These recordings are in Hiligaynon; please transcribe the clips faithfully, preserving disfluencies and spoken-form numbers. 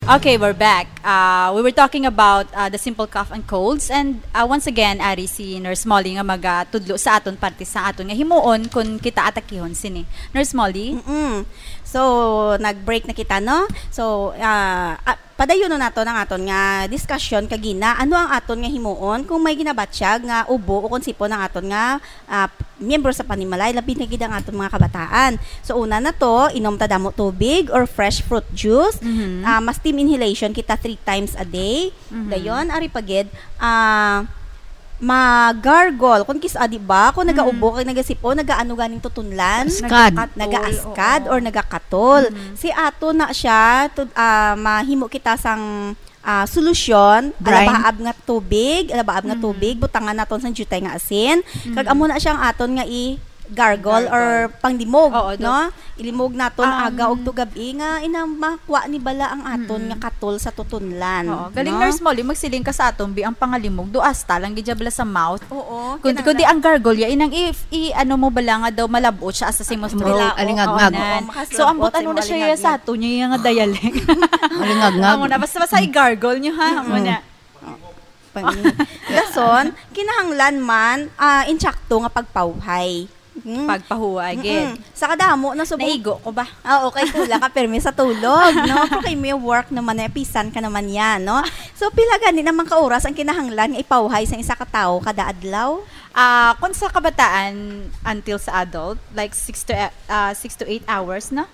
Okay, we're back. Uh, we were talking about uh, the simple cough and colds. And uh, once again, ari si Nurse Molly nga magatudlo sa aton parte sa aton nga himuon kung kita atakihon sini. Nurse Molly? Mm-mm. So, nag-break na kita, no? So, uh, uh, padayonon nato ang aton nga discussion kagina. Ano ang aton nga himuon kung may ginabatyag nga ubo o kung sipon ang aton nga ah, miyembro sa panimalay, labi na gid ang aton mga kabataan. So, una na to, inom ta damo tubig or fresh fruit juice. Mhm. Ah, ma-steam inhalation kita three times a day. Mhm. Dayon, ari pa gid, ah, ma-gargle. Kung kis-, ah, di ba? Kung Mhm. nagaubo kag nagasipon, nagaano ganing tutunlan? Askad. Nagakatol, Nagaaskad oo. or nagakatol. Mhm. Si ato na siya, to, ah, mahimo kita sang ah, solusyon, Brine. alabahaab nga tubig, alabahaab nga Mm. tubig, butangan naton sang diutay nga asin. Mm. Kag amo na siya ang aton nga i-gargle or Gargle. panglimog, Oo, do- no? Ilimog naton Um, aga ug tugab-i nga ina makuha ni bala ang aton Mm. nga katol sa tutunlan, Oo, galing no? Nurse Molly, magsiling ka sa aton, bi, ang pangalimog, do asta lang gid siya bala sa mouth. Oo, Kundi, kinahanglan. kundi ang gargle, ya, inang if, i, ano mo bala nga daw malabot siya asa sa imong Bro, throat. alingagngag. Oo, Oo, na. makaslabot So, ambot sa ano imong na siya alingagngag. sa ato niya nga dialect. Alingagngag. Amo na, basta, basta i-gargle nyo, ha? Amo Mm. na. Pang-, dason, kinahanglan man, ah, insakto nga pagpawhay. Mm. Pagpahuway, Mm-mm. gid. Sa kadamo na subong Naigo ko ba? Ah, okay, kulang ka permi sa tulog, no? Okay, may work naman na, pisan ka naman yan, no? So, pila gani naman ka oras ang kinahanglan nga ipawhay sa isa ka tawo kada adlaw? Ah, kung sa kabataan until sa adult, like, six to, ah, six to eight hours na?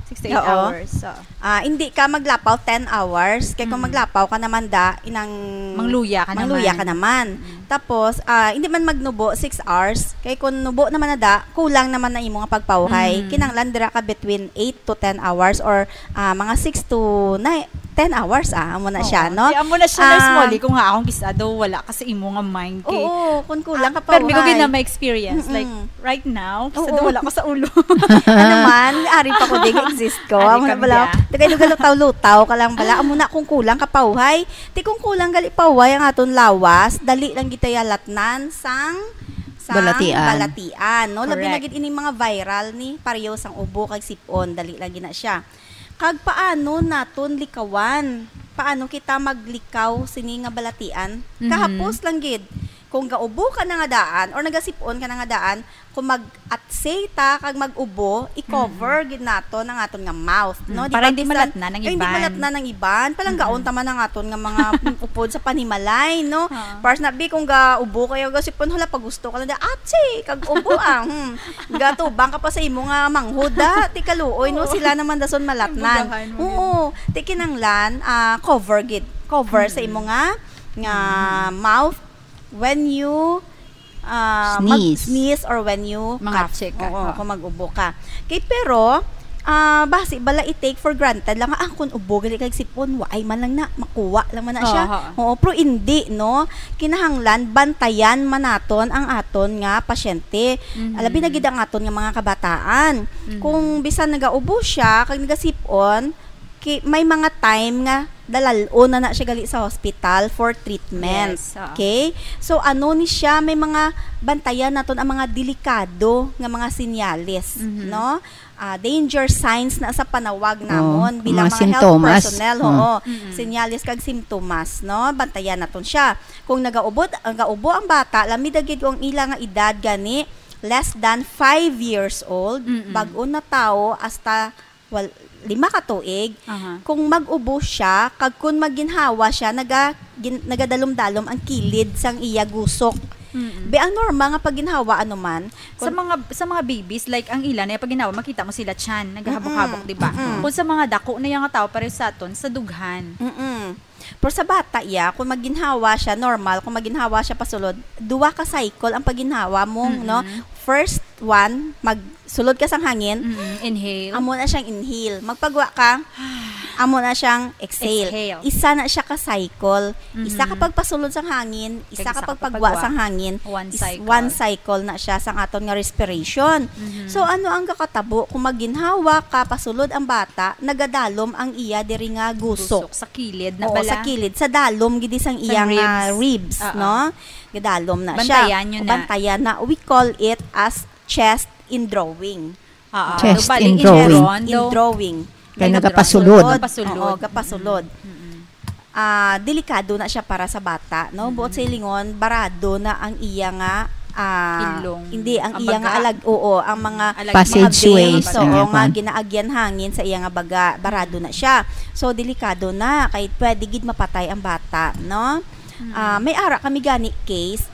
Six to eight Oo. hours, so. Ah, hindi ka maglapaw ten hours. Kay kung Mm. maglapaw ka naman da, inang Mangluya ka mangluya naman. ka naman. Mm. Tapos, ah, hindi man magnubo six hours. Kay kung nubo naman na da, kulang naman na imo nga pagpawhay. Mm. Kinahanglan dira ka between eight to ten hours or, ah, mga six to nine, ten hours, ah, amo na siya, Oo. no? Di, amo na siya, Nurse Ah. Molly, kung nga akong kis-a daw, wala ka sa imo nga mind kay Oo, kung kulang Ah, ka pa, pero may ko uhay. gid na may experience, like, Mm-mm. right now, kis-a Oo. daw wala ko sa ulo. Ano man, ari pa ko, di exist ko. Ari Amo na ka, bala, Mia. Tagay lugaw lutaw-lutaw ka lang bala. Amo na kung kulang ka pauhay. Ti kung kulang gali pauhay ang aton lawas, dali lang gid tayo latnan sang, sang Balatian. balatian, no? Labi na Correct. gid ining mga viral ni, pareho sang ubo kag sipon, dali lang gid na siya. Kag paano naton likawan? Paano kita maglikaw sini nga balatian? Mhm. Kahapos lang gid, kung gaubo ka na nga daan or nagasipon ka na nga daan, kung mag-atsay ta kag mag-ubo, i-cover Mhm. gid naton ang aton nga mouth, no? Mm, Di para ba, hindi bisan, malatnan ang eh, hindi iban. malatnan ang iban. Palanggaon Mhm. ta man ang aton nga mga upod sa panimalay, no? Ah. Para sa nabi, kung gaubo kayo, gasipon, hala, pagusto ka lang, di, atsi, kag ubo, ah, hmm. Gatubang ka pa sa imo nga manghod, ah. Ti kaluoy, no? Oo. Sila naman dason malatnan. Ang bugahan mo Oo. Ti kinanglan, ah, cover gid. Cover sa Mm. imo nga, nga Mm. mouth when you, ah, mag-, Sneeze. sneeze or when you Mga cough. check ka, Oo, oo. kung mag-ubo ka. Kay pero, ah, basi bala i-take for granted lang nga, ah, kung ubo gali kag sipon, waay man lang na, makuha lang man na siya. Oo, oo. Oo, pero hindi, no? Kinahanglan, bantayan man naton ang aton nga pasyente. Mhm. Labi na gid ang aton nga mga kabataan. Mhm. Kung bisan nagaubo siya, kag nagasipon, ki-, may mga time nga dalal-on na na siya gali sa hospital for treatment. Yes, oo. Okay? So, ano ni siya, may mga bantayan naton ang mga delikado nga mga senyales, Mhm. no? Ah, danger signs na sa panawag Oo, namon bilang mga mga health sintomas. personnel, Oo. oo. Mm-mm. Senyales kag simptomas, no? Bantayan naton siya. Kung nagaubot, nagaubo ang bata, lami da gid ang ila nga edad gani, less than five years old, Mm-mm. bag-o na tawo hasta wal-, lima ka tuig, Aha. kung mag-ubo siya, kag kung maginhawa siya, naga-, gin-, nagadalom-dalom ang kilid sang iya gusok. Mm-mm. Be, ang normal nga pagginhawa, ano man, Sa kung mga, sa mga babies, like, ang ila na yung pagginhawa, makita mo sila tiyan, naghahabok-habok, Mm-mm. di ba? Mm-mm. Kung sa mga dako na yung tawo, pareho sa aton, sa dughan. Mm-mm. Pero sa bata, iya, kung maginhawa siya, normal, kung maginhawa siya pasulod, duwa ka cycle ang paginhawa mo, Mm-mm. no? First one, magsulod ka sang hangin, Mm-mm. Inhale. amo na siyang inhale. Magpagwa ka, amo na siyang exhale. Exhale. Isa na siya ka cycle. Isa ka Mm-hmm. pagpasulod sang hangin, isa Kag ka isa ka pagpagwa pagpagwa. sang hangin, One is cycle. one cycle na siya sang aton nga respiration. Mm-hmm. So, ano ang kakatabo? Kung maginhawa ka, pasulod ang bata, nagadalom ang iya diri nga gusok. Gusok sa kilid na Oo, bala. sa kilid, sa dalom gid sang Sang iya nga ribs. ribs, Oo. no? Gadalom na siya. Bantayan nyo na. Bantayan na. We call it as chest in drawing. Oo. Chest Bali, in in drawing. drawing, In daw. drawing. Kay Kay nagapasulod. Gapasulod. Oo, gapasulod. Mm-mm. Ah, delikado na siya para sa bata, no? Buot silingon, barado na ang iya nga, ah, Ilong. Hindi, ang Ang iya nga baga. alag, oo, ang mga Alag- Passage mga veins, ways, oo, nga nga kwan. ginaagyan hangin sa iya nga baga, barado na siya. So, delikado na, kay pwede gid mapatay ang bata, no? Ah, may ara kami gani case,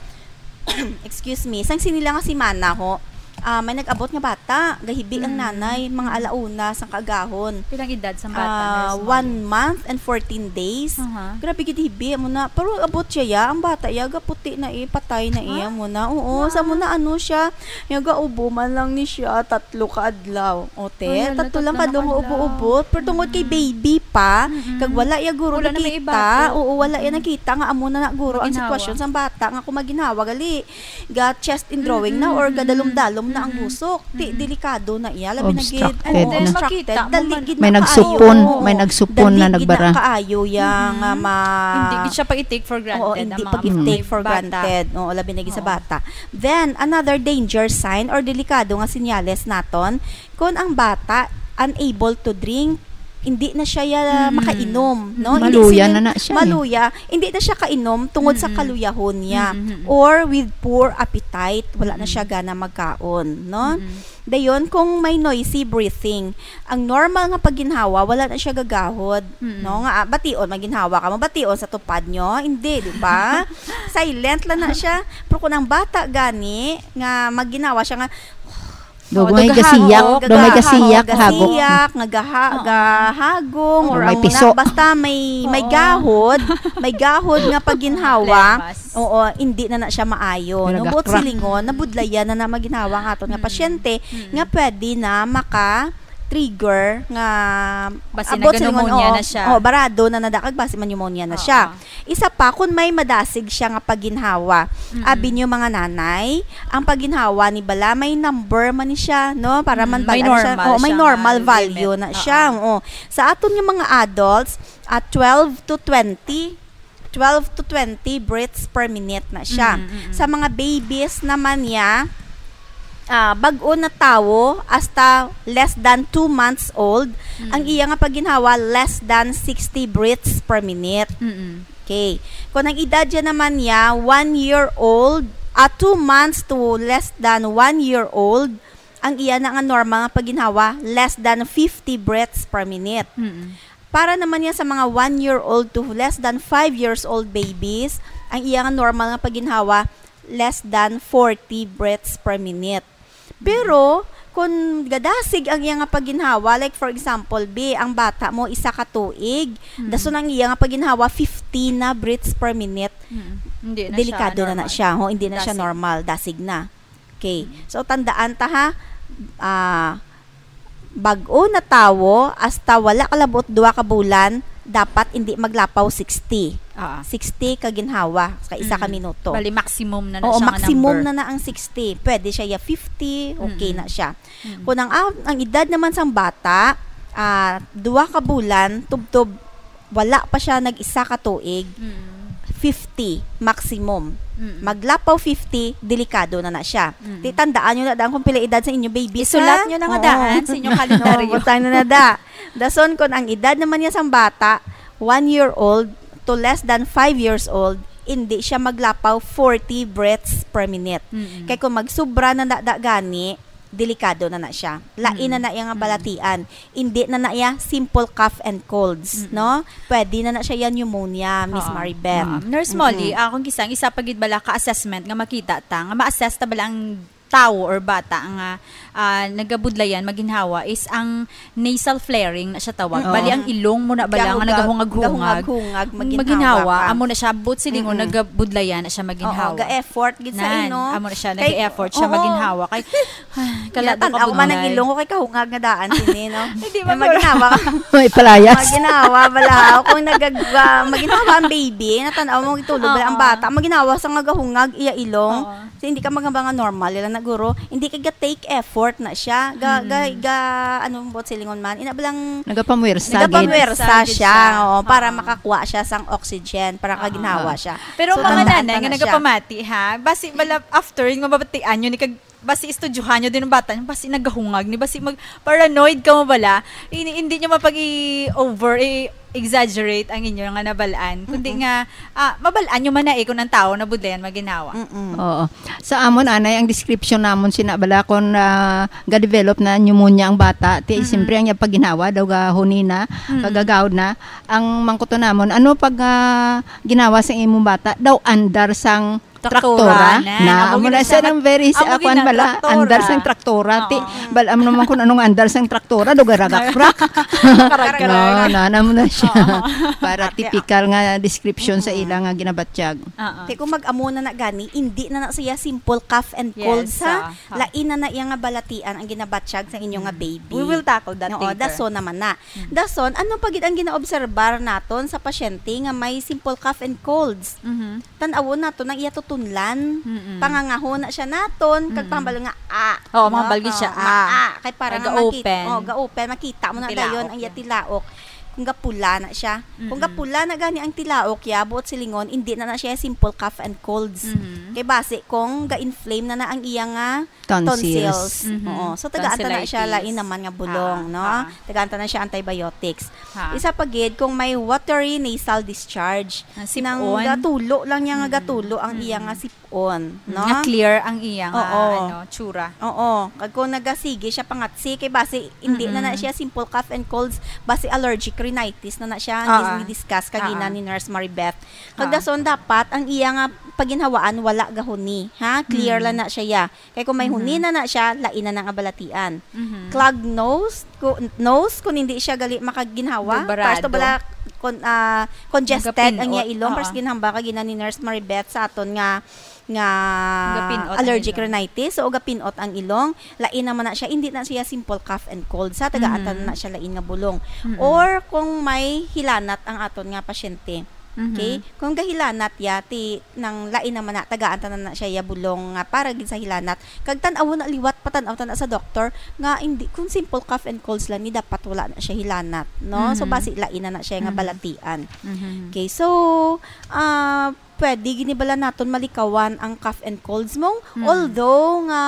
excuse me, sang sini lang nga semana ho, ah, may nag-abot nga bata, gahibi ang Mm. nanay, mga alauna sang kaagahon. Pilang edad sa bata, Ah, Nurse Molly? One month and fourteen days. Aha. Grabe gid hibi mo na. Pero abot siya ya, ang bata ya gaputi na eh, patay na iya Ah? mo na. Oo, Ah. sa mo na ano siya, ya gaubo man lang ni siya tatlo ka adlaw. O te, Ay, hala, tatlo lang tatlo kadlaw na nga kadlaw. ubo-ubo. Pero tungod kay Mm. baby pa, Mm-mm. kag wala ya guro Wala na may nakita. ibato. Oo, wala ya Mm-mm. nakita nga amo na na guro ang Maginhawa. sitwasyon sang bata nga kung maginhawa gali ga chest in drawing na or Mm-mm. gadalom-dalom na ang Mm-mm. busok. Ti Mm-mm. Delikado na iya, labi na gid Obstructed And then, na. makita mo dali man. gid May na nagsupon, kaayo. Oo. may nagsupon Dali na gid nagbara. Na kaayo ya Mm-mm. nga ma Hindi gid siya pa i-take for granted Oo, ang hindi mga pag-take for bata. Granted. Oo, labi na gid sa Oo. Bata. Then, another danger sign or delikado nga sinyales naton, kung ang bata unable to drink, hindi na siya ya Mm. makainom, no? Maluya Hindi na sila- na siya, eh. Maluya, hindi na siya kainom tungod sa Mm-mm. kaluyahon niya Mm-mm. or with poor appetite, wala na Mm-mm. siya gana magkaon, no? Mm-mm. Dayon, kung may noisy breathing, ang normal nga pagginhawa, wala na siya gagahod, Mm-mm. no? Nga, ah, bation, maginhawa ka mo, bation sa tupad nyo? Hindi, di ba? Silent lang na siya. Pero kung ang bata gani, nga maginhawa siya nga, Daw Oo, may daw gasiyak, gahagok. daw may gaga- gasiyak, oo, hagok. gasiyak, nga gaha-, Oo. gahagong, Daw or may amo piso. Na, basta may, may Oo. gahod, may gahod nga pagginhawa, Problemas. oo, hindi na na siya maayo. No? Buot Nagakrak. silingon, nabudlayan na na maginhawa ang aton nga Mm. pasyente, Mm. nga pwede na maka-trigger nga Basi abot silingon, nag-pneumonia oo, na siya. Oo, barado na na, kag basi man pneumonia na Oo. siya. Isa pa, kung may madasig siya nga pagginhawa, Mm-mm. abi niyo mga nanay, ang pagginhawa ni bala, may number man ni siya, no? Para man Mm, may bala na siya. normal Oh, may siya normal nga value limit. Na siya. Oo. Oh. Sa aton nga mga adults, at twelve to twenty, twelve to twenty breaths per minute na siya. Mm, mm, mm. Sa mga babies naman niya, ah, bag-o na tawo hasta less than two months old, Mm. Ang iya nga pagginhawa less than sixty breaths per minute. Mm-mm. Okay. Kung ang edad niya naman niya, one year old, at two months to less than one year old, ang iya na nga normal nga pagginhawa, less than fifty breaths per minute. Mm-mm. Para naman niya sa mga one year old to less than five years old babies, ang iya nga normal nga pagginhawa, less than forty breaths per minute. Pero, kung gadasig ang iya nga pagginhawa, like for example, bi, ang bata mo, isa ka tuig, Mm. dason ang iya nga pagginhawa, fifty na breaths per minute, Mm. Hindi na delikado siya na na normal. Siya. Ho, hindi na siya Dasig. Normal, dasig na. Okay. So, tandaan ta ha, ah, bag-o na tawo, hasta wala ka labot duha ka bulan, dapat hindi maglapaw sixty. Ah. Sixty ka ginhawa sa isa ka Mm. minuto. Bali, maximum na na Oo, siya nga maximum number. Na na ang sixty. Pwede siya ya fifty, okay Mm-mm. Na siya. Mm. Kung ang, ang edad naman sang bata, ah, duha ka bulan, tubtob, wala pa siya nag-isa ka tuig, Mm. fifty maximum. Mm. Maglapaw fifty, delikado na na siya. Mm. Ti tandaan nyo na daan kung pila edad sa inyo baby. Isulat nyo na nga daan sa inyong kalendaryo. Oo, butang na na da. Dason, kung ang edad naman niya sang bata, one year old to less than five years old, hindi siya maglapaw forty breaths per minute. Mm-mm. Kay kung magsubra na da, da gani, delikado na na siya. Lain na Mm. Na iya nga balatian. Hindi na na iya simple cough and colds, Mm-mm. No? Pwede na na siya yan pneumonia, Miss Oo. Maribeth. Oo. Nurse Molly, Mm-mm. Ah, kung kisa, isa pa gid bala ka assessment nga makita ta, nga ma-assess ta bala ang tawo or bata nga, ah, nagabudlayan, maginhawa, is ang nasal flaring na siya tawag. Mm-mm. Bali, ang ilong mo na bala nga Gahugag, nagahungag-hungag. gahungag-hungag, maginhawa Maginhawa, ka. Amo na siya, buot silingon, Mm-mm. Nagabudlayan na siya maginhawa. Oo, ga-effort gid sa Nan, ino. Amo na siya, Kay, nag-effort siya oo. maginhawa. Kay, ay, kalado Tan-aw ka man ang bunay. Ilong ko kay kahungag nga daan sini, no? Hindi May man, maginhawa ka. May palayas. Maginhawa, bala. Kung nagag-, ah, maginhawa ang baby, natan-aw mo, itulog bala ang Oo. Bata. Maginhawa sa nga gahungag, iya ilong. Oo. So, hindi ka magamba nga normal, ila na guro. Hindi ka ga-take effort na siya. Ga, Mm. ga, ga, ano mo silingon man? Ina ba lang Nagapamwersa. Nagapamwersa. Nagapamwersa gid siya, siya. Oo, para Oo. Makakuha siya sang oxygen, para Oo. kaginhawa siya. Pero So, mga tandaan nanay ta nga na siya. Nagapamati, ha? Basi bala after yung mabatian yun, kag basi istudyohan nyo din ang bata nyo, basi nagahungag ni, basi mag-, paranoid ka mo bala, hindi, hindi nyo mapag-i-over, i-exaggerate ang inyo nga nabalaan, kundi Mm-mm. nga, ah, mabalaan nyo man na eh kung ang tao nabudlayan maginhawa. Mm-mm. Oo. Sa amon, anay, ang description namon sina bala kung, ah, ga-develop na pneumonia ang bata, ti, Mhm. siyempre, ang iyang pagginhawa daw gahuni na, Mm. kagagawd na. Ang mangkuto namon, ano pag, ah, ginawa sa imong bata? Daw andar sang Traktora traktora na. Na. Amo Amo gina na siya siya ang very, amo sa akuan gina bala, traktora. Andar sang traktora. Ti, Oo. bal, amo naman kung anong andar sang traktora, do garagakrak. Karag-karag. No, na, na mo na siya. Oo. Para Ate, ah. Typical nga description sa Mm. ila nga ginabatyag. Oo. Ti kung mag-amo na na gani, hindi na na siya simple cough and Yes, cold sa ah, ha. lain na na iya nga balatian ang ginabatyag sa inyo nga Mm. baby. We will tackle that Oo, later. Dason naman na. Mm. Dason, ano pa gid ang ginaobserbar naton sa pasyente nga may simple cough and colds? Mhm. Tan-awon naton ang iya tutunlan. Mm-mm. Pangangaho na siya naton, kag Mm-mm. pahambal nga, "Ah," Oo, no? mambal gid siya, Oo, "Ah." "Ah." Kay para Ay, nga makit-, ga-open. oh, ga-open, makita mo Ang na dayon tilaok ang iya niya. tilaok. Kung gapula na siya. Kung Mm-mm. gapula na gani ang tilaok, ya, buot silingon, indi na na siya simple cough and colds. Mhm. Kay basi kung ga-inflame na na ang iya nga Tonsils. tonsils. Mhm. Oo. So, tagaan ta na siya Tonsillitis. lain naman nga bulong, Ah, no? ah. Tagaan ta na siya antibiotics. Ha. Isa pa gid, kung may watery nasal discharge, Ah, nang sip-on. gatulo lang niya nga Mm. gatulo ang iya nga Mm. sip-on, Mm, no? nga clear ang iya nga, Oo. ano, tsura. Oo. Kag kung nagasigi siya pangatsi, kay basi, hindi na na Mm-mm. siya simple cough and colds, basi allergic rhinitis na na siya, ang Ah, gis-, ah. ni-discuss kagina Ah, ah. ni Nurse Maribeth. Kag Ah. dason, dapat ang iya nga paginhawaan wala gahuni, ha? Clear Mm. lang na siya, ya. Kay kung may Mhm. huni na na siya, lain na na nga balatian. Mhm. Clogged nose, ku-, nose, kung hindi siya gali makaginhawa, Gabarado. Pares to bala, kon-, ah, congested ang iya Nagapinot. ilong, Oo. pares ginhambal kagina ni Nurse Maribeth sa aton nga, nga Gapinot ang allergic ilong. rhinitis, o gapinot ang ilong, lain naman na siya, hindi na siya simple cough and cold, sa tagaan ta Mhm. na siya lain nga bulong. Mm-mm. Or kung may hilanat ang aton nga pasyente. Mhm. Okay? Kung gahilanat ya, ti, nang lain naman na, tagaan ta na na siya ya bulong nga para gid sa hilanat. Kag tan-awon na liwat, patan-aw ta na sa doktor nga hindi, kung simple cough and colds lang ni, dapat wala na siya hilanat, no? So, Mhm. basi lain na na siya nga Mhm. balatian. Mhm. Okay, so, ah, pwede gid ni bala naton malikawan ang cough and colds mo, Mhm. although nga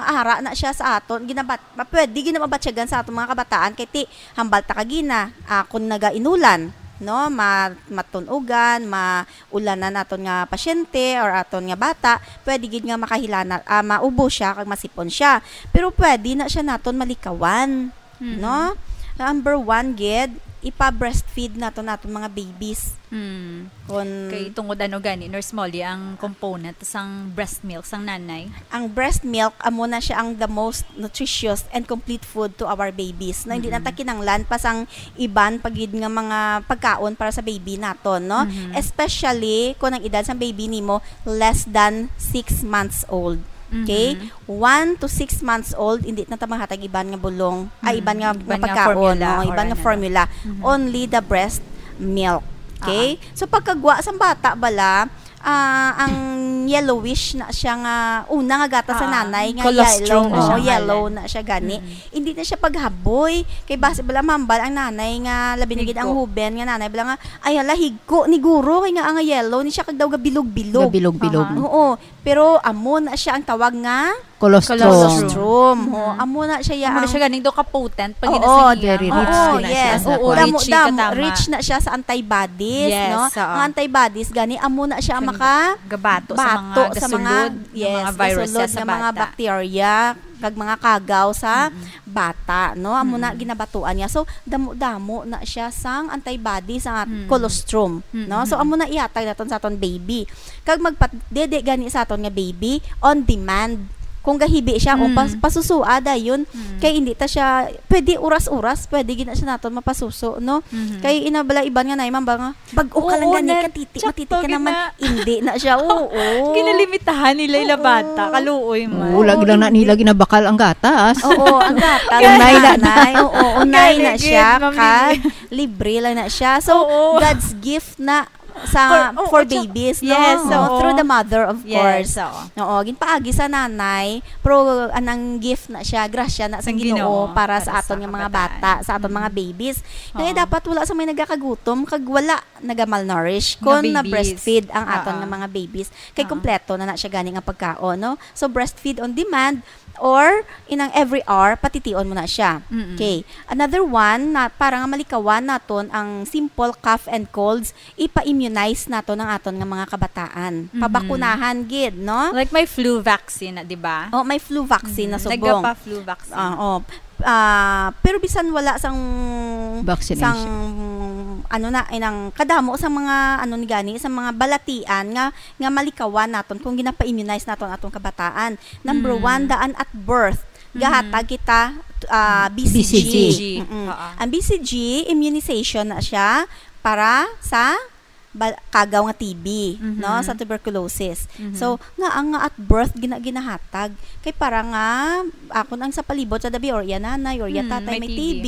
ara na siya sa aton, ginabat-, ma-, pwede gid na mabatyagan sa aton mga kabataan, kay ti, hambal ta kagina, ah, kung nagainulan, no, ma-, matunugan, maulanan naton nga pasyente or aton nga bata, pwede gid nga makahilana, ah, maubo siya kag masipon siya. Pero pwede na siya naton malikawan, Mhm. no? Number one gid, ipa-breastfeed naton aton mga babies. Hmm. Kon Kay tungod ano gani, Nurse Molly, ang component sang breast milk sang nanay? Ang breast milk, amo na siya ang the most nutritious and complete food to our babies, no? Hindi na ta Mm-mm. kinanglan pa sang iban pa gid nga mga pagkaon para sa baby naton, no? Mhm. Especially kung ang edad sang baby nimo less than six months old. Okay? Mhm. One to six months old, hindi na ta maghatag iban nga bulong, ay, Mm, iban nga, iban nga nga pagkaon, pagkaon, no? or Iban nga ano. formula. Mhm. Only the breast milk. Okay? Ah. So, pagkagwa sang bata bala, ah, ang yellowish na siya nga, una nga gatas sa Ah, nanay nga colostrum yellow, na siya oo, nga yellow ngalan. na siya gani. Mm. Hindi na siya paghaboy. Kay basi bala mambal ang nanay nga, labi na gid ang Higko. huben nga nanay, bala nga, "Ay, hala, higko ni guro, kay nga ang yellow ni siya kag daw gabilog-bilog." Gabilog-bilog. Aha. Oo, pero amo na siya ang tawag nga Colostrum. Colostrum. Colostrum. Ho, Mhm. amo na siya ya Amo na ang siya ganing daw ka-potent pag Oo, ginasahiya. very rich Oo, gid na siya yes. sa Oo, kuwan. damo, Richie damo, katama. rich na siya sa antibodies, Yes, no? oo. Ang antibodies gani amo na siya Kang maka gabato sa mga bato sa mga, gasulod nga yes, mga virus gasulod sa nga mga bata. bacteria kag mga kagaw sa Mm-mm. bata, no? Amo na Mm-mm. ginabatuan niya. So, damo-damo na siya sang antibodies ang at-, Mm. colostrum, Mm-mm. no? So, amo na ihatag naton sa aton baby. Kag magpadede gani sa aton nga baby on demand. Kung gahibi siya, o pas-, Mm. pasusua dayon, Mm. kay hindi ta siya, pwede oras-oras, pwede gid na siya naton mapasuso, no? Mhm. Kay ina bala iban nga nay mambal nga, "Bag-o ka lang Oo, gani, na, katiti, tsaka matiti ka gid naman." na. Hindi na siya, oo. Ginalimitahan nila ila Oo. bata, kaluoy man. Oo, lagi lang na nila ginabakal ang gatas. Oo, ang gatas, Unay na. nanay. Oo, unay Gani na gid, siya, Ma'am ka Lily. libre lang na siya. So, Oo. God's gift na Sa, For, oh, for at saka, babies, no? yes, Oo, oo. Through the mother, of Yes, course. Oo. Oo, ginpaagi sa nanay, pero anang gift na siya, grasya na sa Ang Ginoo Ginoo para para sa sa aton nga mga kabataan. bata, sa aton mga babies. Kaya Oo. dapat wala sa may nagakagutom, kag wala nagamalnourish Nga kung babies. na-breastfeed ang aton Oo. nga mga babies. Kay Oo. kompleto na na siya gani nga pagkaon, no? So, breastfeed on demand or inang every hour, patition mo na siya. Mm-mm. Okay. Another one, na para nga malikawan naton ang simple cough and colds, ipa-immunize naton ang aton nga mga kabataan. Mhm. Pabakunahan gid, no? Like may flu vaccine na, di ba? Oh, may flu vaccine na Mhm. subong. Nagapa-flu vaccine. Ah, oh. Ah, pero bisan wala sang Vaccination. sang ano na, inang kadamo sa mga ano ni gani, sa mga balatian nga nga malikawan naton kung ginapa-immunize naton atong kabataan. Number Mm. one, daan at birth. Mhm. Gahatag kita ah, B C G. B C G. Mm-mm. Oo. Ang B C G immunization na siya para sa bal- kagaw nga T B, Mhm. no, sa tuberculosis. Mhm. So, nga ang nga at birth gina ginahatag kay para nga akon ang sa palibot sa dabi or iya nanay or iya Hmm, tatay may may, T B. T B,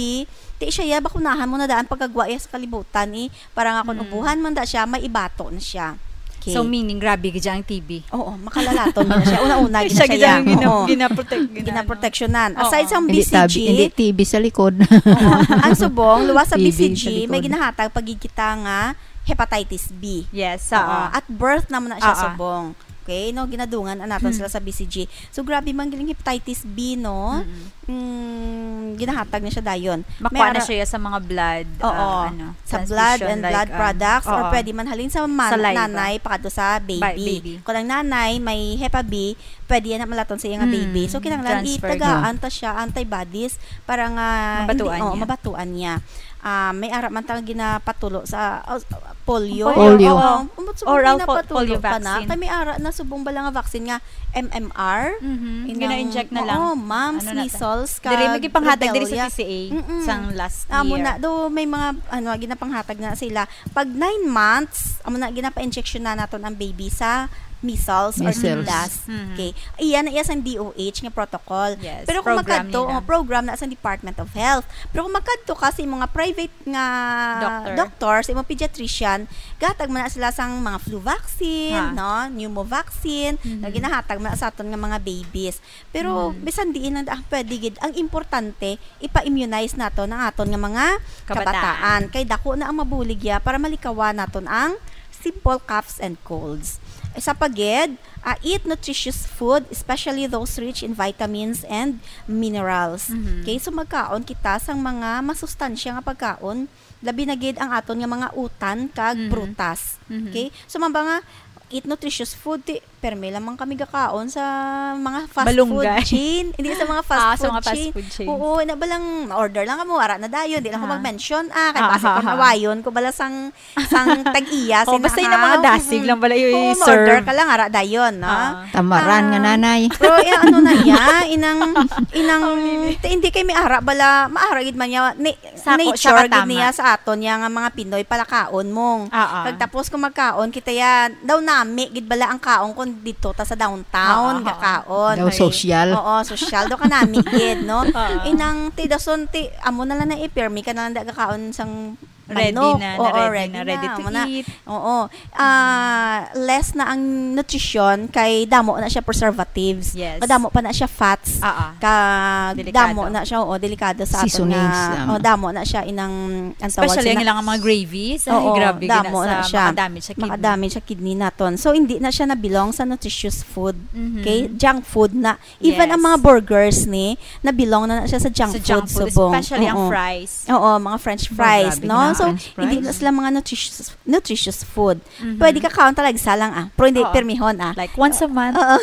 ti siya ya bakunahan mo na daan pagkagwa iya sa kalibutan eh, para nga kung Hmm. ubuhan man da siya, may ibato na siya. Okay. So, meaning, grabe gid ang T B. Oo, makalalaton na siya. Una-una gid Siya siya gid ya. ang gina- Oo. ginaprotect, gina- Ginaproteksyonan. Oo. Aside sa Hindi B C G, tabi, hindi T B sa likod. Oo. Ang subong, luwas sa T B B C G, sa likod. May ginahatag pagigita nga hepatitis B. Yes, Oo. oo. At birth naman na siya Oo. subong. Okay, no? Ginadungan ang naton Hmm. sila sa B C G. So, grabe man giling hepatitis B, no? Mm-mm. Mm, ginahatag na siya dayon. May Makuha na ara- siya sa mga blood, Oo. ah, ano, Sa blood transfusion, and like, blood um, products or oo. Pwede man halin sa man- Saliva. nanay pakadto sa baby. Ba- baby. Kung ang nanay may Hep B, pwede yan malaton sa iyang Mm, baby. So, kinahanglan transfer. itagaan ta siya antibodies para nga Mabatuan hindi, oh, niya. Mabatuan niya. Ah, may ara man tang ginapatulo sa oh, polio. Polio. Oo. Umot subong Oral po- ginapatulo polio pa na. Vaccine. Kay may ara na subong bala nga vaccine nga M M R. Mhm. Inang- Gina-inject na lang. Oo, mumps, Ano na ta- measles, Diri kag magipanghatag diri sa rubella. T C A, Mm-mm. sang last Amo year. na, do may mga ano ginapanghatag na sila. Pag nine months, amo na ginapa-injection na naton ang baby sa measles or Measles. T B S. Mhm. Okay. Iya na iya sang D O H nga protocol. Yes, Pero kung program makadto, nila. Oh, program na sa Department of Health. Pero kung makadto ka sa mga private nga Doctor. Doctor, sa imong pediatrician, gatag man na sila sang mga flu vaccine, Ha. no, pneumo vaccine, Mhm. nga ginahatag man na sa aton nga mga babies. Pero Mhm. bisan diin lang ah, pwede gid. Ang importante, ipa-immunize naton ang aton nga mga Kabataan. kabataan. Kay dako na ang mabulig ya para malikawan naton ang simple coughs and colds. Isa pa gid, ah, eat nutritious food, especially those rich in vitamins and minerals. Mhm. Okay, so magkaon kita sang mga masustansya nga pagkaon, labi na gid ang aton nga mga utan kag Mhm. prutas. Mhm. Okay? So, man ba nga, eat nutritious food, ti, permi lamang kami gakaon sa mga fast Malunggay. food chain. Hindi sa mga fast Ah, sa food mga fast chain. food chains. Oo, na ba lang, order lang kamo, ara na dayon. Di lang ko Ah. mag-mention, ah, kay Ah, basi ah, kung ah. nawayon ko bala sang, sang tag-iya, Oh, sina basta yun ka. ang mga dasig Mm-mm. lang bala yung Oo, i-serve. ma-order ka lang, ara dayon, no? Ah. Tamaran nga Ah, nanay. Pero eh, ano na iya, inang, inang, Oh, really? ti- hindi kay may ara bala, maara gid man niya, ni, Sako siya nature gid katama. niya sa aton niya nga mga Pinoy palakaon mong. Ah, ah. Kag tapos kung magkaon kita ya, daw nami gid bala ang kaon kung dito ta sa downtown Ah, ah, gakaon. Daw Okay. Sosyal. Oo, sosyal daw ka nami gid, no? Ah. Inang ti dason ti amo na lang na ipirmi ka na lang da gakaon sang Ready manok. na, na Oo, ready ready na, na. ready to Amo na. eat. Oo. Ah, less na ang nutrisyon kay damo na siya preservatives. Yes. Kadamo pa na siya fats. Ah, ah. Ka Delikado. Damo na siya, oo, delikado sa aton Seasonings, nga. um. Oh, damo na siya inang ang tawag Especially sila- ang ilang mga gravies. Ay, Oo, grabe gid damo na na sa siya. Makadamage sa kidney. Makadamage sa kidney naton. So, hindi na siya nabilong sa nutritious food. Mhm. Okay? Junk food na. Even Yes. ang mga burgers ni, nabilong na, na siya sa junk Sa food, junk food, subong. Especially ang Oo. Fries. Oo, mga french Oh, fries, grabe no? na, So, french hindi fries. na sila mga nutritious, nutritious food. Mhm. Pwede ka kaon talaga sa lang, ah. Pero hindi, Oo. pirmihon, ah. Like, once a month. Oo.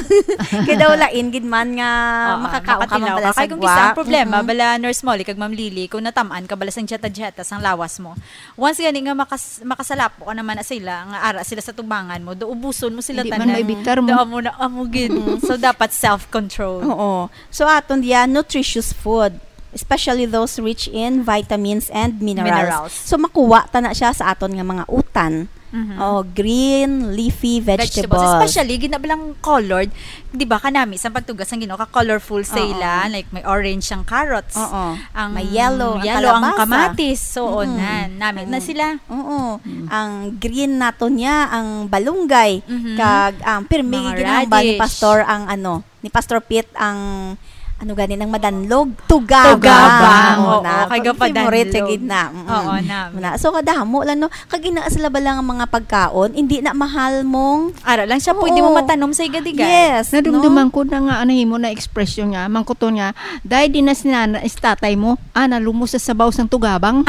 Kaya daw lain gid man nga Oo, makakaon ka man makatilaw bala ka. Kay sa kung guwa. kisa ang problema, Mm-mm. bala Nurse Molly, kag Ma'am Lily, kung natamaan ka bala sang dieta-dieta sang lawas mo, once gani nga makas makasalapo ka naman na sila, nga ara sila sa tubangan mo, do ubuson mo sila Hindi tanan. man maibitar mo. Do amo na, amo gid. So, dapat self-control. Oo. So, aton diya, nutritious food. Especially those rich in vitamins and minerals. Minerals. So, makuha ta na siya sa aton nga mga utan. Mhm. Oh, green leafy vegetables. Vegetables. Especially, ginabalang colored. Di ba, kanami, sa pagtugas ang Ginoo, ka-colorful sa Oo. ila. Like, may orange ang carrots. Oo. Ang May yellow ang yellow ang kalabasa. kamatis. So, Mm-mm. na, namit na Mm. sila. Oo. Mm. Ang green nato niya, ang balunggay. Mhm. Kag, ang pirmi Mga ginahambal ni radish. Pastor ang ano, ni Pastor Pete ang, ano gani, nang madanlog? Tugabang. Tugabang, Oo, oo, na. kay Pag gapadanlog. favorite siya gid na. Mm-mm. Oo, nami. Na. So, kadamo lang, no? Kag ina sila ba lang ang mga pagkaon? Hindi na mahal mong Ara lang siya, pwede mo Oo. matanom sa igadigan. Yes, Nadumduman no? ko na nga, ano, himo na expression nga, mangkuton nga, "Dahil di na si nana-, si tatay mo, ah, nalumo sa sabaw sang tugabang."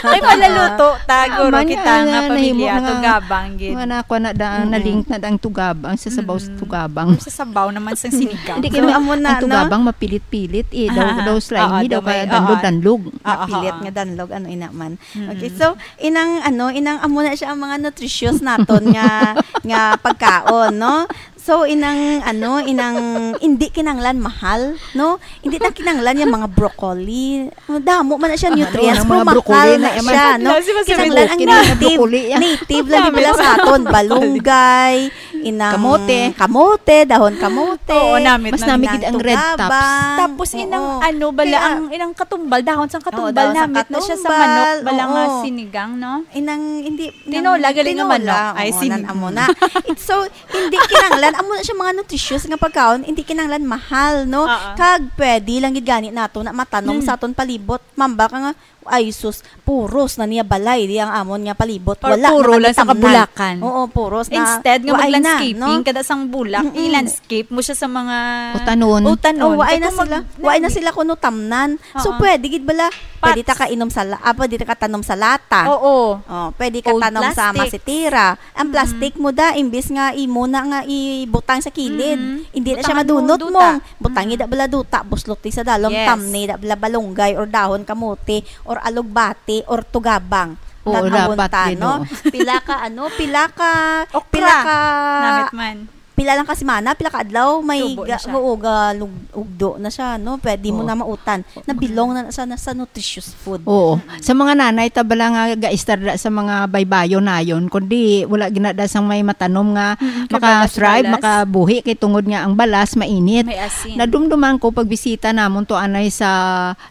Ay, malaluto, ta, Ah, guro, man, kita nga ah, nahimo pamilya, nga, tugabang, gid. nga na, kuha na da, Mm-mm. na-link na da ang tugabang sa sabaw sa Mm-mm. tugabang. Or sa sabaw naman sang sinigang. Hindi So, kami, amo na, ang no? tugabang mapilit-pilit, eh. Daw, Ah, daw slimy, oo, daw daw may, ka danlog-danlog. oo. Ah, Mapilit oo. nga danlog, ano, ina man. Mm-mm. Okay, so, inang, ano, inang amo na siya ang mga nutritious naton nga, nga pagkaon, no? So, inang, ano, inang, hindi kinanglan mahal, no? Hindi na kinanglan yung mga broccoli. Damo man na siya Ah, nutrients, ano, pero mga broccoli mahal na na, man. siya, no? Wala, si Mas Kinanglan ang Broccoli na native, broccoli, ah. native lang Dami nila sa mga aton, broccoli. balunggay, inang Kamote. kamote, dahon kamote, Oo, namit Mas na. nami gid inang ang red tugaba. tops. Tapos inang Oo. ano bala, Kaya ang inang katumbal, dahon sang Oo, katumbal, dahon sang namit na siya sa katumbal, manok, bala nga oo. sinigang, no? Inang, hindi, Tinola, inang galing nga tinola, manok. Ay, oo, sinigang. nan-, amo na. It's so, hindi kinanglan, amo na siya mga nutritious nga pagkaon, hindi kinanglan mahal, no? Oo. Kag pwede lang gid gani nato na matanom Mm. sa aton palibot. Mamba ka nga, "Ay, sus, puros na niya balay, di ang amon nga palibot." Or Wala puro naman lang sa itamnan. kabulakan. Oo, puros na. Instead nga Wa ay na, mag-landscaping, no? kada sang bulak, Mm-mm. i-landscape mo siya sa mga Utanon. utanon. Oh, wa ay Kaya na kung sila, mag-, wa ay na nami- sila kuno tamnan. So, Oo. pwede gid bala, pwede ta Pots. ka inom sa la-, ah, pwede ta ka tanom sa lata. Oo. Oh, pwede ka Old tanom sa plastics. masitira. Ang Mm. plastic mo da, imbis nga imo na nga ibutang sa kilid, Mm. hindi na Butang siya ano, madunot duta. mo. Butang Mm. ida bala duta, buslot sa dalom, Yes. tamni da bala balunggay or dahon kamote or alugbati or tugabang. Oo, Tan-awon dapat ta, gid, no? oo. Pila ka, ano, pila ka, Okra. pila ka, Namit man. pila lang ka semana, pila ka adlaw, may Tubo na ga-, siya. oo, galug-, ugdo na siya, no? Pwede mo Oo. na mautan. Nabilong na sa, na sa nutritious food. Oo. Mm-mm. Sa mga nanay, ta bala nga gaistarda sa mga baybayon nayon, kundi wala ginada sang may matanom nga Mm-mm, kay balas, maka-thrive, balas. makabuhi, kay tungod nga ang balas mainit. May asin. Nadumduman ko pagbisita namon to anay sa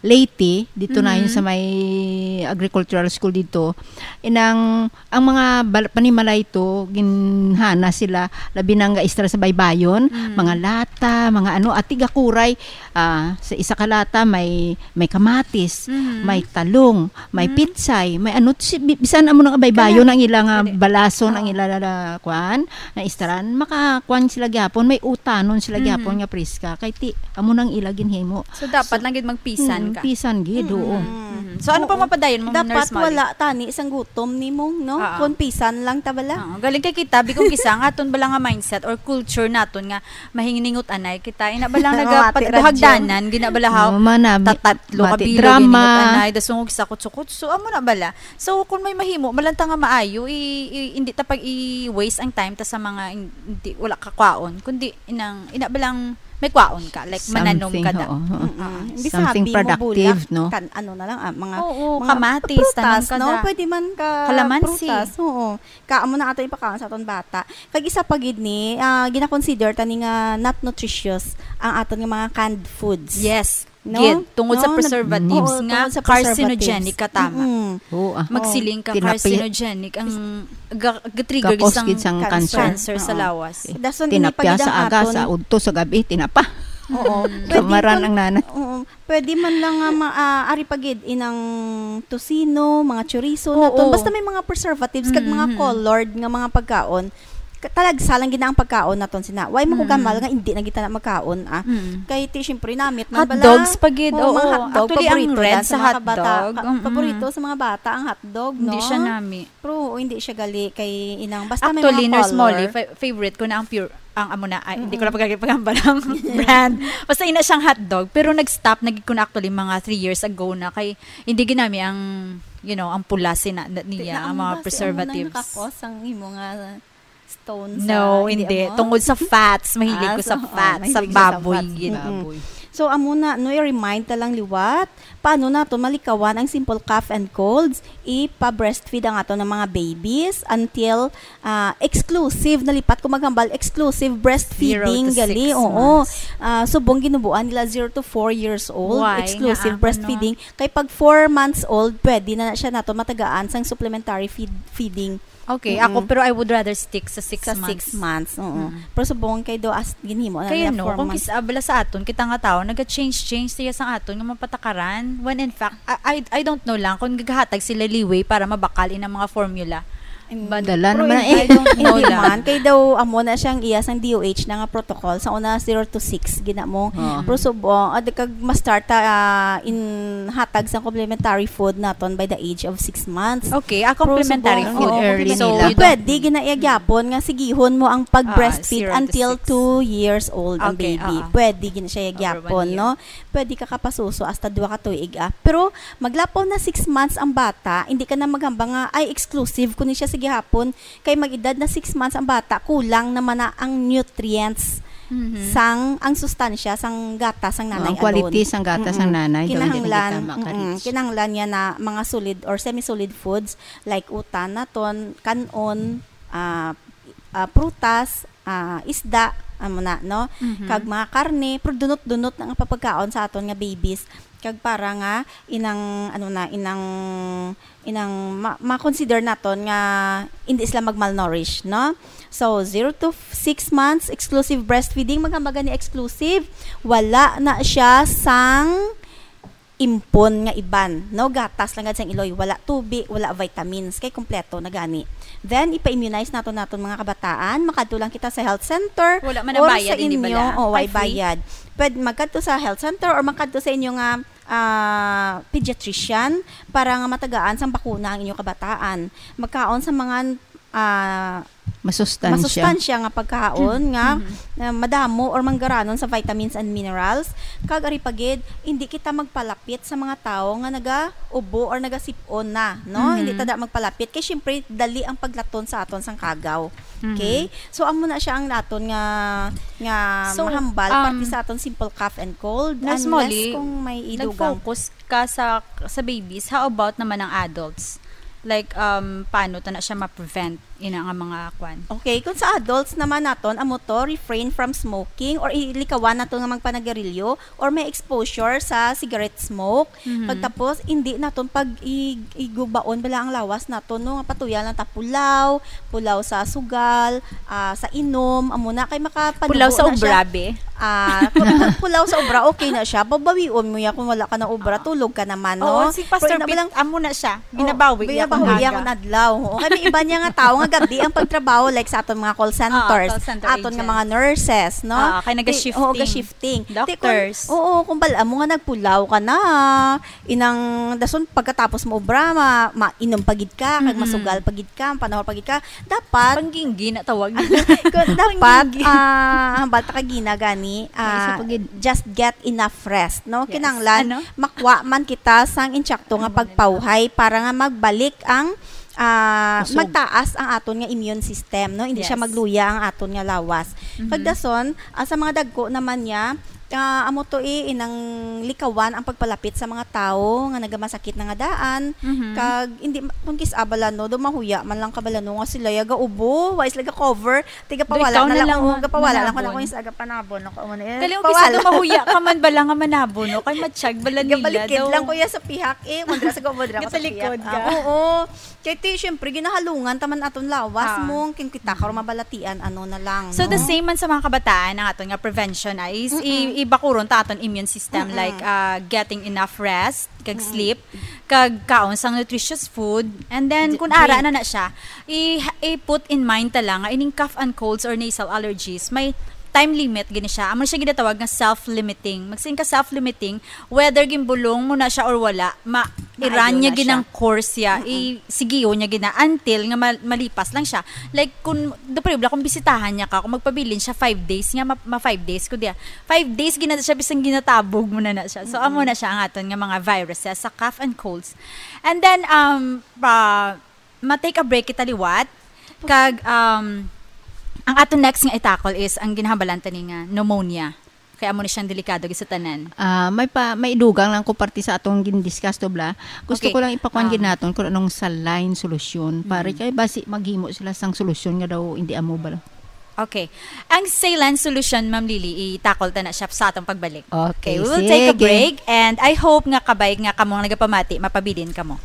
Leyte, dito na yun Mm-hmm. sa may agricultural school dito. Inang, ang mga bal-, panimalay to, ginhana sila, labi na nga istra sa baybayon, Mm. mga lata, mga ano, at tigakuray, ah, sa isa ka lata may, may kamatis, Mm-hmm. may talong, may Mm. pitsay, may ano, si-, bi-, bisan amo nang baybayon Kana, ang ilang, ah, pwede. balason, ang Oo. ila, la, la, kwan, na istran, makakuan sila gyapon, may utanon sila Mhm. gyapon nga priska, kay ti, amo nang ila ginhimo. So, dapat So, lang gid magpisan mm, ka. pisan gid, oo. Mm. Mhm. So, ano pa Oo. mapadayon mo, Dapat Nurse Molly? wala tani sang gutom nimo, no? Oo. Kung pisan lang ta bala. Oo. Galing kay kita, bigong isa nga aton bala nga mindset or culture naton nga mahiningot anay kita. Ina bala Mati nagapad-, radyo. hagdanan, gina bala haw, Oo, manami-, tatatlo ka mati bilo, drama. giningot anay, dasungog sa kutso-kutso, amo na bala. So, kung may mahimo, malanta nga maayo, i-, i-, hindi ta pag i-waste ang time ta sa mga in-, hindi, wala ka kwaon, kundi inang, ina ba lang may kwaon ka, like, mananom Something, ka da. oo, oo. Mm-mm. Ah. Hindi Something sabi mo productive, bulak, no? kan-, ano na lang, ah, mga, Oo, mga kamatis, prutas, tanom ka no? da. Pwede man ka Kalamansi. prutas, oo. Kaamo na ato ipakaon sa aton bata. Kag isa pa gid ni, ah, gina-consider ta ni nga not nutritious ang aton nga mga canned foods. Yes. No? Gid, tungod sa No? Nag-, preservatives oo, nga tungod sa carcinogenic preservatives. ka, tama. Mm-mm. Oo, ah. Magsiling ka Tinapay. carcinogenic ang ga-, ga-trigger Gakos isang gid sang cancer. cancer sa Oo. lawas. Eh, Dason ini tinapya pagid ang sa aga, aton sa udto, sa gabi, tinapa. Oo. Mm. Pwede Kamaran man, ang nanay. oo. Pwede man lang nga ma-, ah, ari pa gid inang tocino, mga chorizo Oo. naton. Basta may mga preservatives kag mga Mm-hmm. colored nga mga pagkaon. Ka-, talagsa lang gid na ang pagkaon naton sina. Why mo ko Mm. gamal nga hindi na kita na magkaon, ah? Mm. Kay ti, syempre, namit man Hot bala. dogs pa gid, Oo, mga oo. hotdog, Actually, ang paborito red na sa sa mga kabata-, hotdog, ka-, mm. paborito sa mga bata ang hotdog, Hindi no? siya nami. Pero, oo, hindi siya gali kay inang, basta may Actually, mga Nurse color. Molly, fa-, favorite ko na ang pure, ang amo na, ay, hindi ko Mm-mm. na pagkakipagamba ng brand. Basta ina siyang hotdog, pero nag-stop na gid ko na actually mga three years ago na kay hindi ginami ang, you know, ang pula sina, na, Di niya, na ang ang mga basi, amo na preservatives. nakakos ang imo nga stone sa, No, hindi hindi. mo? Tungod sa fats, mahilig Ah, ko sa so, oh, fats, sa mahilig ka sa baboy fats. gid. Mm-mm. Baboy. So, amo na, no, i-remind ta lang liwat, paano naton malikawan ang simple cough and colds? Ipa-breastfeed ang aton nga mga babies until, ah, exclusive, nalipat ko maghambal, exclusive breastfeeding, Zero to gali, six oo. months. Ah, subong ginubuan nila zero to four years old, Why? Exclusive Nga, ah, breastfeeding. Kay pag four months old, pwede na siya nato matagaan sang supplementary feed, feeding. Okay, Mm-mm. ako, pero I would rather stick sa six Sa months. six months, oo. Mm. Pero subong kay do as ginhimo na Kaya nila no, four kung months. kis-, abala sa aton, kita nga tao, naga-change-change siya sa aton nga mapatakaran. When in fact, I, I, I don't know lang kung naghatag sila leeway para mabakal in ang mga formula. Mm. But Dala pero naman in eh. I don't know Hindi lang. man, kay daw amo na siyang iya sang D O H na nga protocol. Sa una, zero to six, gina mo. Oo. Pero subong, ah, di kag ma-start ta, ah, in hatag sa complementary food naton by the age of six months. Okay, ah, Pero complementary subong, food. oo, Early complementary nila. food. Pwede, gina-, iya gyapon nga sigihon mo ang pag-breastfeed Ah, zero to until six. two years old ang Okay, baby. oo. Pwede, gina siya Over gyapon, one year. no? Pwede ka kapasuso hasta duha ka tuig, ah. Pero maglapaw na six months ang bata, hindi ka na maghambal nga, "Ay, exclusive ko ni siya sa gihapon." Kay mag-edad na six months ang bata, kulang naman na ang nutrients Mhm. sang, ang sustansya sang gatas sang Oh, nanay ang quality alone. sang gatas sang Mm-mm. nanay daw, hindi na Kinahanglan, kita mm-mm. maka-reach. Kinahanglan niya na mga solid or semi-solid foods like utan naton, kan-on, ah, ah, prutas, ah, isda, amo na, no? Mhm. Kag mga karne, pero dunot-dunot na nga papagkaon sa aton nga babies. Kag para nga inang, ano na, inang, inang ma-, ma-consider naton nga hindi sila mag-malnourish, no? So, zero to f-, six months, exclusive breastfeeding, maghambagan ni exclusive, wala na siya sang impon nga iban, no? Gatas lang gad sang iloy, wala tubi, wala vitamins, kay kompleto na gani. Then, ipa-immunize naton naton mga kabataan, makadto lang kita sa health center Wala man or ang bayad, sa hindi inyo, bala? o, way Ay, free? bayad. Pwede magkadto sa health center or magkadto sa inyo nga, ah, pediatrician para nga matagaan sang bakuna ang inyo kabataan. Magkaon sa mga, ah, Masustansya. masustansya nga pagkaon nga, Mhm. nga madamo or manggaranon sa vitamins and minerals. Kag ari pa gid, hindi kita magpalapit sa mga tawo nga nagaubo or nagasip-on na, no? Mhm. Hindi ta da magpalapit kay syempre dali ang paglaton sa aton sang kagaw. Mhm. Okay? So, amo na siya ang naton nga, nga So, mahambal, um, parte sa aton simple cough and cold, Nurse unless Molly, kung may idugang. nag-focus ka sa, sa babies, how about naman ang adults? Like, um, paano ta na siya ma-prevent ina nga mga kwan? Okay, kung sa adults naman naton, amo to, refrain from smoking or ilikawan nato nga magpanagarilyo or may exposure sa cigarette smoke. Mhm. Pagtapos, hindi naton pag i-, igubaon bala ang lawas naton, no? Nga patuyan lang ta pulaw, pulaw sa sugal, ah, sa inom, amo na, kay makapanubo Pulaw sa na siya. obra, be. Ah, pu-, pu-, pulaw sa obra, okay na siya. Babawion mo ya kung wala ka na obra, Ah. tulog ka naman, Oo, no? si Pastor Pero ina Pete, balang amo na siya. Oh, Binabawi iya binabawi kung iya aga. kung adlaw. Oo, kay may iba niya nga tao nga gabi ang pagtrabaho, like sa aton mga call Ah, centers, call center aton nga agents. mga nurses, no? Ah, kay Di, naga-shifting. oo, ga-shifting. Di, kung, Doctors. oo, kung bal-, amo nga nagpulaw ka na, inang dason pagkatapos mo obra, ma-, mainom pa gid ka, kag Mm-mm. masugal pa gid ka, panahon pa gid ka, dapat Pangginggi na tawag. Kung dapat, Pangginggi. ah, hambal ta ka gina gani, May isa ah, pa gid. just get enough rest, no? Yes. Kinahanglan Ano? makwa man kita sang insakto nga Ano ba nila? pagpawhay para nga magbalik ang, ah, Kusog. magtaas ang aton nga immune system, no? Hindi siya Yes. magluya ang aton nga lawas. Mhm. Kag dason, ah, sa mga dagko naman niya, ah, amo to eh, inang likawan ang pagpalapit sa mga tawo nga nagamasakit na nga daan, Mhm. kag hindi ma-, kung kis-a bala, no, do mahuya man lang ka bala, no, nga sila ya gaubo, wa sila ga-cover, tiga Doy, pawala ikaw na na lang, lang oo, nga gapawala lang ko na manabon. kung isa gapanabon, no, kung ano, eh, Kali, kung pawala. kis-a do mahuya ka man bala nga manabon, no, kay matsyag bala nila Gabalikid daw. lang, kuya, sa pihak, eh, kung dira sa gaubo, dira ko sa Gatalikod pihak. ka. Ah, oo. Kay ti, syempre, ginahalungan taman aton lawas Ah. mo, kung kita ka mabalatian, ano na lang, So, the no? same man sa mga kabataan, ang aton nga prevention ay is Mm-mm. i-, ibakuron ta aton immune system, Mm-mm. like, ah, getting enough rest, kag Mm-mm. sleep, kag kaon sang nutritious food, and then, J-, kung ara drink. na na siya, i-, i-put in mind ta lang nga ining cough and colds or nasal allergies, may time limit gini siya. Amo siya ginatawag nga self-limiting. Magsin ka self-limiting, whether ginbulong mo na siya or wala, ma-, Maayo iran niya na siya. ginang course siya, Mm-mm. i-, sigiyo niya gina until nga mal-, malipas lang siya. Like, kung, do, pwede, kung bisitahan niya ka, kung magpabilin siya five days, nga ma, ma five days, kundi, ah, five days, gina siya, bisan ginatabog mo na na siya. So, amo Mm-mm. na siya ang aton nga mga viruses sa cough and colds. And then, um, pa, ma-take a break kita liwat, kag, um, ang aton next nga i-tackle is ang ginahambalan tani nga pneumonia. Kay amo ni siyang delikado gid sa tanan. Ah, may pa may dugang lang ko parte sa atong gin-discuss to bla. Gusto Okay. ko lang ipakuan Um, gid naton kung anong saline solution para kay basi maghimo sila sang solusyon nga daw hindi amo bala. Okay. Ang saline solution, Ma'am Lily, i-tackle ta na siya sa atong pagbalik. Okay, We will take a sige. Break, and I hope nga kabay nga kamo nga nagapamati, mapabilin kamo.